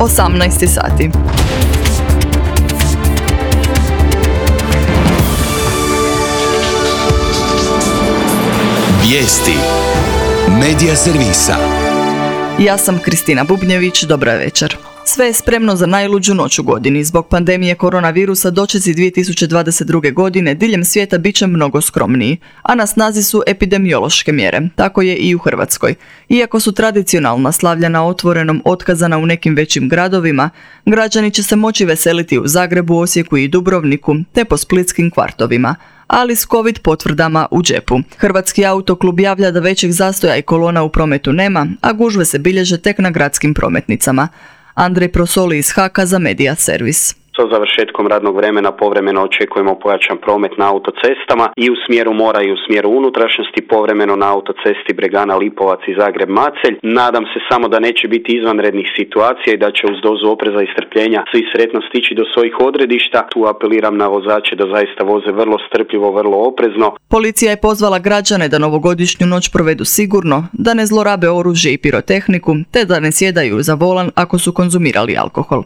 18 sati. Vijesti Medija servisa. Ja sam Kristina Bubnjević, dobra večer. Sve je spremno za najluđu noć u godini. Zbog pandemije koronavirusa dočeci 2022. godine diljem svijeta bit će mnogo skromniji, a na snazi su epidemiološke mjere. Tako je i u Hrvatskoj. Iako su tradicionalna slavlja na otvorenom otkazana u nekim većim gradovima, građani će se moći veseliti u Zagrebu, Osijeku i Dubrovniku, te po splitskim kvartovima, ali s COVID potvrdama u džepu. Hrvatski autoklub javlja da većih zastoja i kolona u prometu nema, a gužve se bilježe tek na gradskim prometnicama. Andrej Prosoli iz HAK-a za Medija servis. Sa završetkom radnog vremena povremeno očekujemo pojačan promet na autocestama i u smjeru mora i u smjeru unutrašnjosti, povremeno na autocesti Bregana Lipovac i Zagreb Macelj. Nadam se samo da neće biti izvanrednih situacija i da će uz dozu opreza i strpljenja svi sretno stići do svojih odredišta. Tu apeliram na vozače da zaista voze vrlo strpljivo, vrlo oprezno. Policija je pozvala građane da novogodišnju noć provedu sigurno, da ne zlorabe oružje i pirotehniku, te da ne sjedaju za volan ako su konzumirali alkohol.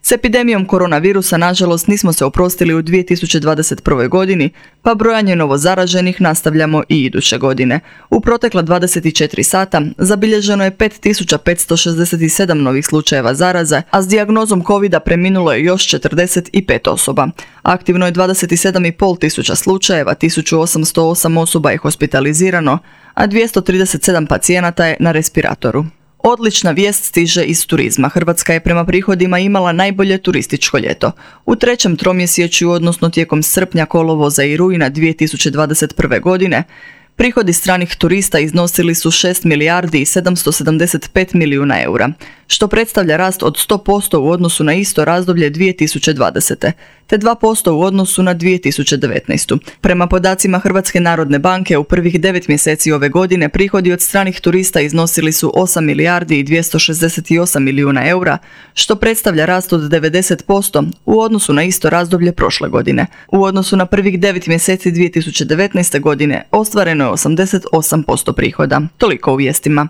S epidemijom koronavirusa, nažalost, nismo se oprostili u 2021. godini, pa brojanje novozaraženih nastavljamo i iduće godine. U protekla 24 sata zabilježeno je 5567 novih slučajeva zaraze, a s dijagnozom covida preminulo je još 45 osoba. Aktivno je 27,5 tisuća slučajeva, 1808 osoba je hospitalizirano, a 237 pacijenata je na respiratoru. Odlična vijest stiže iz turizma. Hrvatska je prema prihodima imala najbolje turističko ljeto. U trećem tromjesečju, odnosno tijekom srpnja, kolovoza i rujna 2021. godine, prihodi stranih turista iznosili su 6 milijardi i 775 milijuna eura, što predstavlja rast od 100% u odnosu na isto razdoblje 2020. te 2% u odnosu na 2019. Prema podacima Hrvatske narodne banke, u prvih 9 mjeseci ove godine prihodi od stranih turista iznosili su 8 milijardi i 268 milijuna eura, što predstavlja rast od 90% u odnosu na isto razdoblje prošle godine. U odnosu na prvih 9 mjeseci 2019. godine ostvareno je 88% prihoda. Toliko u vijestima.